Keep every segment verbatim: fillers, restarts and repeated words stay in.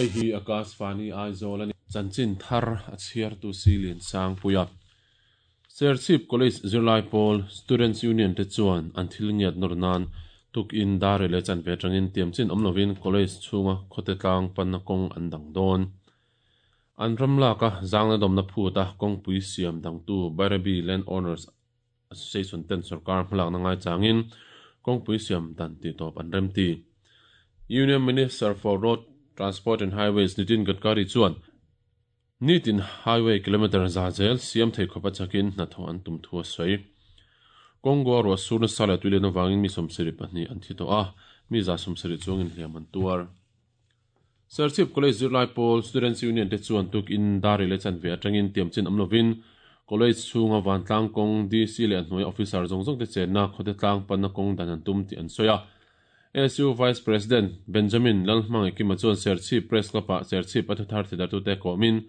Hei hi Akashvani Aizawl ani. Chanchin thar a chhiartu Silin Sangpuia. Serchhip College zirlai pawl Students Union te chuan an thil ngiat nawr nan tukin dar leh chan ve atangin tiamchin awm lovin college chhunga khawte tlang panna kawng an dang dawn. An ram laka zangna dawmna phuta kawngpui siam dangtu Bairabi Land Owners Association ten sarkar hmalakna ngai changin kawngpui siam dan tih tawp an rem ti. Union Minister for Road Transport and Highways Nitin Gadkari chuan nitin highway kilometer za zel siam thei khawpa chakin hnathawh an tum thu a sawi. Congo ruah sur nasa leh tuilian avangin mi sawmsarih pahnih an thi tawh a, mi za sawmsarih chuangin hliam an tuar. Serchhip College zirlai pawl Students Union te chuan tukin dar leh chan ve atangin tiamchin awm lovin college chhunga vantlang kawng D C leh a hnuai officer zawng zawng te chenna khawte tlang panna kawng dan an tum tih an sawi a. S U Vice President Benjamin Lalhmangaih Kima chuan Serchhip Press Club-ah Serchhip a thuthar thidartute kawmin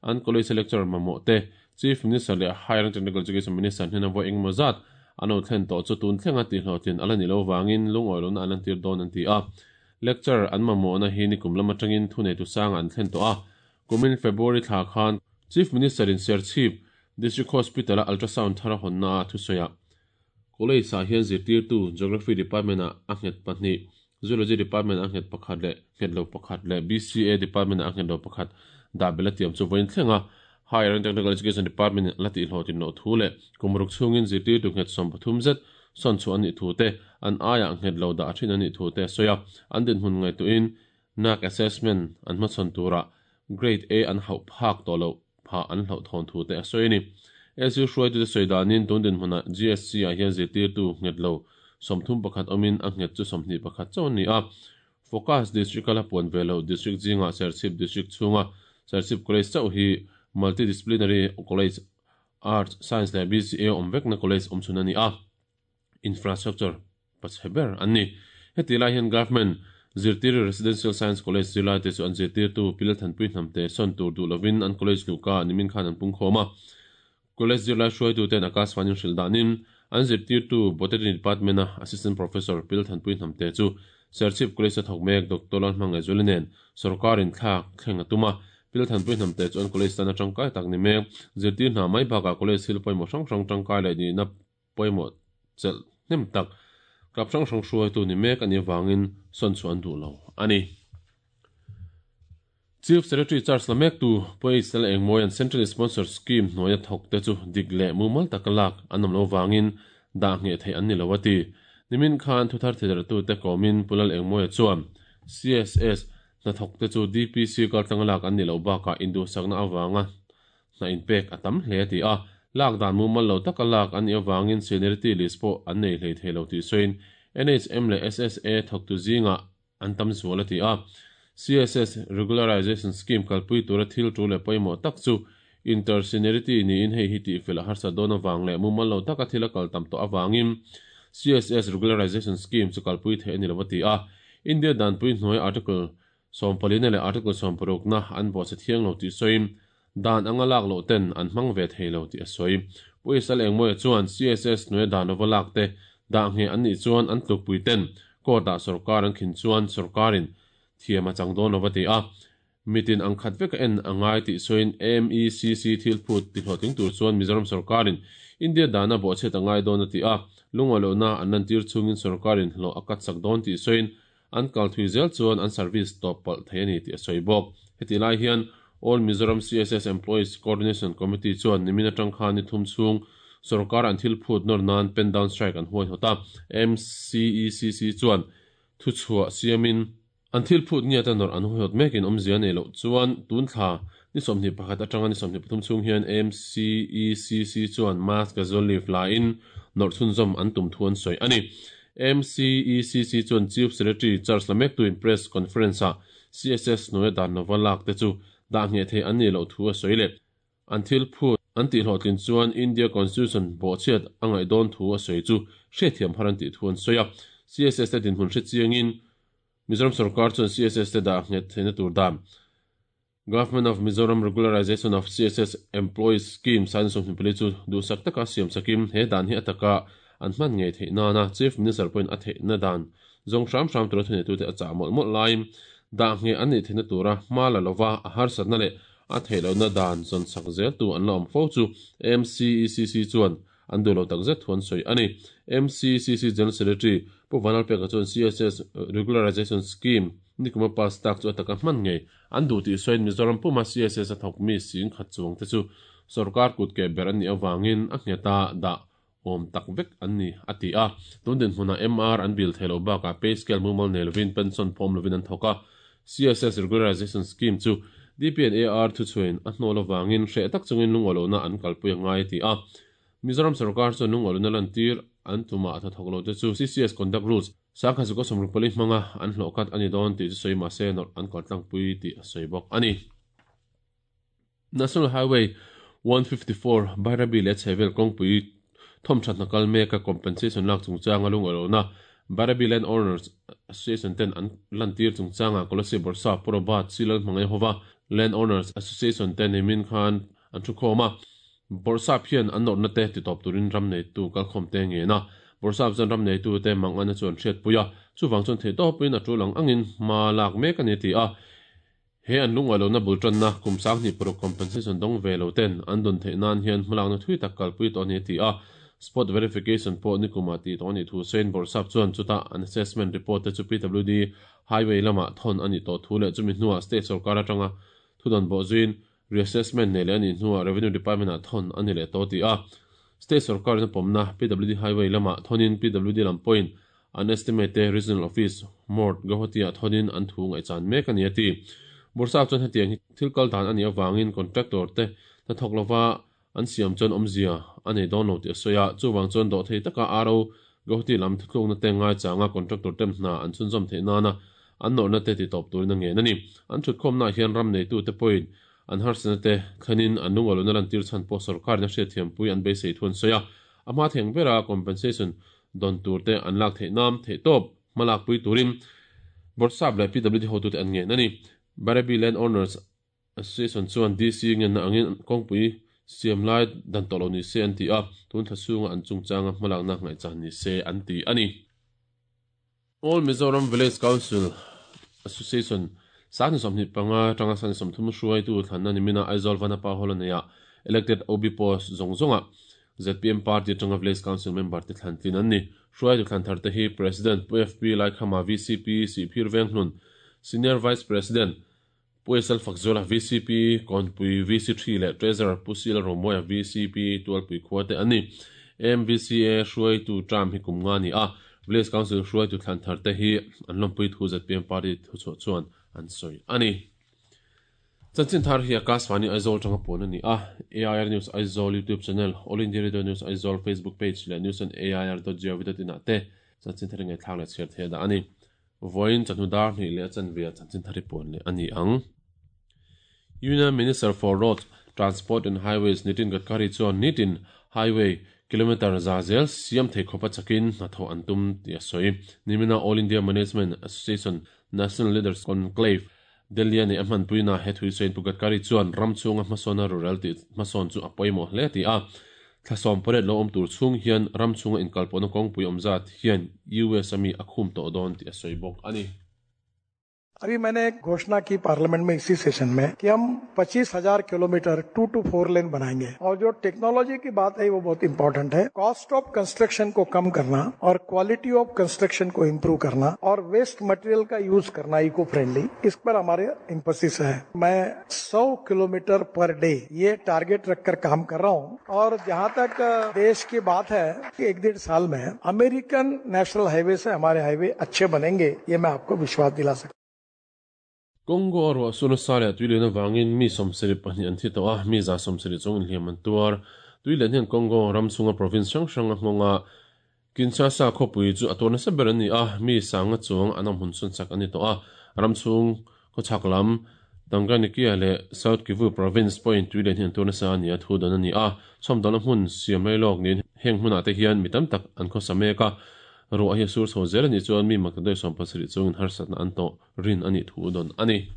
an college lecturer mamawh te Chief Minister leh Higher and Technical Education Minister hnena vawi engemaw zat an lo thlen tawh chu tun thlenga tihhlawhtlin ala ni lo vangin lungawi lohna an lantir dawn an ti a. Lecturer an mamawhna hi nikum lam atangin thuneitu sanga an thlen tawh a. Kumin February thla khan Chief Minister in Serchhip District Hospital-a ultrasound thar a hawnna a thusawi a. College ah hian zirtirtu Geography Department ah a nghet pahnih, Zoology Department ah a nghet pakhat leh nghet lo pakhat leh B C A Department ah a nghet lo pakhat dah bel a tiam chu vawiin thleng a. Higher and Technical Education Department in la tihhlawhtlin loh thu leh kum ruk chhungin zirtirtu nghet sawm pathum zet sawn chhuah an nih thu te, an aiah nghet lo dah thin an nih thu te a sawi a. An dinhmun ngaihtuahin N A C assessment an hmachhawn turah Grade A an hauh phak tawh loh phah an hlauh thawn thu te a sawi a ni. S U hruaitute sawi danin tun dinhmunah G S C ah hian zirtirtu nghet lo sawmthum pakhat awmin a nghet chu sawmhnih pakhat chauh an ni a. Focus District a la puan ve loh District zingah Serchhip District chhunga Serchhip College chauh hi Multidisciplinary College, Arts, Science leh B C A awm vekna college awm chhun a ni a. Infrastructure pachhe ber an ni. Heti lai hian Government Zirtir Residential Science College zirlai te chu an zirtirtu Pilathanpui hnamte sawn tur duh lovin an college luhka nimin khan an pung khawm a. College zirlai hruaituten Akashvani hrilh danin an zirtirtu Botany Department-a Assistant Professor Pilathanpui hnamte chu Serchhip College a thawk mek Doctor Lalhmangaih Zuali nen sarkarin thlak thleng a tum a. Pilathanpui hnamte chu an college tan a tangkai tak ni mek. Zirtir hna mai bakah college thil pawimawh hrang hrang tangkai leh nihna pawimawh chelh hnem tak club hrang hrang hruaitu ni mek ani awangin sawn chu an duh lo ani. Chief Secretary Charles Lamek tu Pois Lal Engmawi an Central Sponsor Scheme hnuaia thawk te chu dik leh mumal taka lak an awm lo wangin dah nge thei an ni lo a ti. Nimin khan thuthar thidartu te kawmin Pu Lal Engmawia chuan C S S hnathawk te chu D P C kaltlang lak an ni lo bakah induhsakna awanga hna inpek a tam hle a ti a. Lak dan mumal lo taka lak an ni awangin seniority list pawh an nei hlei thei lo tih sawiin N H M leh S S A thawktu zinga an tam zual a ti a. C S S Regularization Scheme kalpui tura thil tu leh pawimawh tak chu inter-seniority niin hei hi tih fel a harsa dawn awang leh mumal lo taka thil a kal tam tawh awangin C S S Regularization Scheme chu kalpui thei ani lo a ti a. India danpui hnuai Article sawmpalina leh Article sawmparukna an bawhchhe thiang lo tih sawiin dan anga lak loh ten an hmang ve thei lo tih a sawi. Puisal Engmawia chuan C S S hnuai dan lova lak te dah nge an nih chuan an tlukpui ten court-ah sarkar an khin chuan sarkarin thiam a chang dawn lova ti a. Mitin ang khat vek a en angai tih sawiin M E C C thil phut tihhlawhtling tur chuan Mizoram sarkarin India dana bawhchhet angai dawn a ti a. Lungawi lohna an lantir chungin sarkarin hlawh a kat sak dawn tih sawiin an kal thui zel chuan an service tawp palh thei ani tih a sawi bawk. Heti lai hian All Mizoram C S S Employees Coordination Committee chuan nimin atang khan ni thum chhung sarkar an thil phut nawr nan pen down strike an huai hawt a. M C E C C chuan thu chhuah siamin an thil phut nge ta nawr an huai hawt mekin awmzia nei loh chuan tun thla ni sawmhnih pakhat atanga ni sawmhnih pathum chhung hian M C E C C chuan mask casual leave lain nawr chhunzawm an tum thu an sawi ani. M C E C C chuan Chief Secretary Charles Lamek tuin press conference ah C S S hnuai dan lova lak te chu dah nge thei an ni loh thu a sawi le. An thil phut an tihhlawhtlin chuan India Constitution bawhchhiat a ngaih dawn thu a sawi chu hriatthiam har an tih thu an sawi a. C S S te dinhmun hre chiangin Mizoram sarkar chuan C S S te dah nghet theihna tur dan Government of Mizoram Regularization of C S S Employees Scheme sign sawmhnih pali chu duhsak taka siam sakim he dan hi ataka an hman nge theih nana Chief Minister pawhin a theihna dan zawng hram hram tura thuneitu te a chah mawlh mawlh laiin Dah nge an nih theihna tura hma la lova a harsatna leh a theih lohna dan zawn sak zel tu an la awm fo chu M C E C C chuan an duh lo takzet thu an sawi a ni. M C C C General Secretary Pu Vanlalpeka chuan C S S Regularization Scheme nikuma pass tak chu a taka hman ngei an duh tih sawiin Mizoram puma C S S a thawk mi sing khat chuang te chu sarkar kut ke ber an nih awangin a ngheta dah awm tak vek an ni a ti a. Tun din hmuna M R an bil theilo bakah pay scale mumal nei lovin, pension pawm lovin an thawk a. C S S Regularization Scheme chu D P and A R thu chuin a hnawl awangin hreh tak chungin lungawlona an kalpui angai ti a. Mizoram sarkar chuan lungawlona lan tir an tuma a thawk lo te chu C C S Conduct Rules sangkhat zakua sawmruk pali hmanga an hlawh khat ani dawn tih chu sawi mahse nawrh an kal tlangpui tih a sawi bawk ani. National Highway one fifty-four Bairabi leh chhehvel kawngpui thawm thatna kal meka compensation lak chungchanga lungawlona Bairabi Land Owners Association ten an lan tir chungchanga Kolasib Bawrhsap Pu Robert C Lalhmangaih hova Land Owners Association ten nimin khan an thu khawm a. Bawrhsap hian an nawrhna te titawp turin ram neitu kalkhawm te nge na. Bawrhsap chuan ram neitu te mang ana chuan hriat pui a, chuwang chuan thei tawpin a tul ang angin hma lak mek ani ti a. He an lungawlona bul tanna kum sang hnih paruk compensation dawng ve lo ten an dawn theih nan hian hmalakna thui tak kalpui tawh ani ti a. Spot verification pawh nikuma tih tawh ani thu sawiin Bawrhsap chuan chuta an assessment report te chu P W D Highway lama thawn ani tawh thu leh chumi hnuah state sarkar atanga thudawn bawh zuin reassessment nei leh ani hnuah Revenue Department ah thawn ani leh tawh ti a. State sarkar na pawmna P W D Highway lama thawnin P W D lam pawhin an estimate te Regional Office Mort Guwahati ah thawnin an thu ngaihchan mek ani a ti. Bawrhsap chuan hetiang hi thil kal dan ani awangin contractor te hnathawk lova an siam chuan awmzia a nei dawn lo tih a sawi a. Chuwang chuan dawh thei taka R O Guwahati lam thuthlukna te ngai changa contractor tem hna an chhunzawm theih nana an nawrhna te titawp turin a ngen ani. An thutkhawmna hian ram neitu te pawhin an harsatna te thlenin an lungawlona lan tir chhan pawh sarkar na hriat thiampui an beisei thu an sawi a. A hma theng bera compensation dawn tur te an lak theih nam theih tawp hmalak pui turin Bawrhsap leh P W D hotu te an ngen ani. Bairabi Land Owners Association chuan D C ngen na angin kawngpui siam lai dan tawh lo ni se an ti a, tun thla chhunga an chungchanga hmalakna ngaihchan ni se an ti ani. All Mizoram Village Council Association sangni sawmhnih panga tanga sangni sawmthum hruaitu thlanna nimina Aizawl Vanapa Hall ania elected O B post zawng zawnga Z P M party atanga Village Council member te thlan tlin an ni. Hruaitu thlan thar te hi President Pu F P Laikhama, V C P Sihphir Venghlun, Senior Vice President Pu S L Fakzola, V C P Kawnpui V C three leh Treasurer Pu C L Romoya, V C P Tualpui khua te an ni. M V C A hruaitu term hi kum nga ni a. Village Council hruaitu thlan thar te hi an lawmpui thu Z P M party thu chhuah chuan an sawi ani. Chanchin thar hi Akashvani Aizawl tanga pawn ani a. A I R News Aizawl YouTube channel, All India Radio News Aizawl Facebook page leh news on A I R dot gov dot in ah te chanchin thar ngai thlak leh chhiar thei da ani. Voin chanu dar hnih leh chan via chanchin thar hi pawn leh ani ang. Union Minister for Road Transport and Highways Nitin Gadkari chuan nitin highway kilometer za zel siam thei khopa chakin hnathawh an tum ti a sawi. Nimina All India Management Association National Leaders Conclave Delhi ani a hmanpuina he thui sawiin Pu Gadkari chuan ram chhunga hmasawna rural tih hmasawn chu a pawimawh hle ti a. Thlasom pariat lo awm tur chhung hian ram chhunga inkalpawhna kawngpui awm zat hian U S ami a khum tawh dawn tih a sawi bawk ani. अभी मैंने एक घोषणा की parliament में इसी session में कि हम पच्चीस हजार kilometre two to four lane बनाएंगे और जो टेक्नोलॉजी की बात है, वो बहुत इंपॉर्टेंट है। Cost of construction को कम करना और quality of construction को इम्प्रूव करना और वेस्ट मटेरियल का यूज करना इको फ्रेंडली, इस पर हमारे इम्फेसिस है। मैं सौ kilometre per day ये टारगेट रखकर काम कर रहा हूँ और जहाँ तक देश की बात है कि एक डेढ़ साल में American national highway से हमारे हाईवे अच्छे बनेंगे, ये मैं आपको विश्वास दिला सकता। Congo ruah sur nasa leh tuilian awangin mi sawmsarih pahnih an thi tawh a, mi za sawmsarih chuang inhliam an tuar. Tuilian hian Congo ram chhunga province hrang hrang a nghawng a. Kinshasa khawpui chu a tuar nasa ber an ni a, mi sanga chuang an awm hun sawn sak ani tawh a. Ram chhung khawchhak lam Tanganyika leh South Kivu province pawhin tuilian hian tuar nasa ani a thu dawn ani a. Chhawmdawlna hmun siam lai lawk niin heng hmunah te hian mi tam tak an khawsa mek a. Ruah hi sur chho zel ani chuan mi makdoi sawm pasarih chungin harsatna an tawh rin ani thu dawn ani.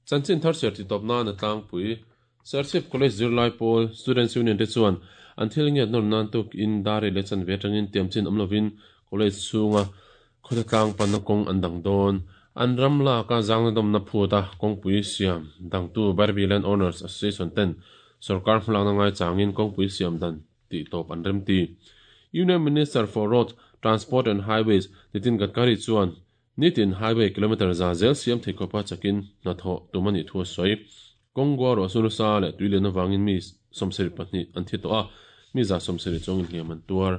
Chanchin thar ser ti tawp na na tlangpui. Serchhip College Zirlai Pawl Students Union te chuan an thil ngiat nawr nan tuk in dar leh chan ve atangin tiam chin awm lovin college chhunga khawtha tlang panna kawng an dang dawn. An ram laka zangnadawmna phuta kawngpui siam dangtu Bairabi Land Owners Association ten sarkar hmalakna ngai changin kawngpui siam dan tih tawp an rem ti. Union Minister for Road Transport and Highways Nitin Gadkari chuan nitin highway kilometer za zel siam thei khawpa chakin hnathawh tum ani thu a sawi. Kawng ro sa leh tuilian awangin mi sawmsarih pahnih an thi tawh a, mi za sawmsarih chuangin hliam an tuar.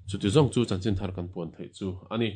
Chuti zawng chu chanchin thar kan puan theih chu ani.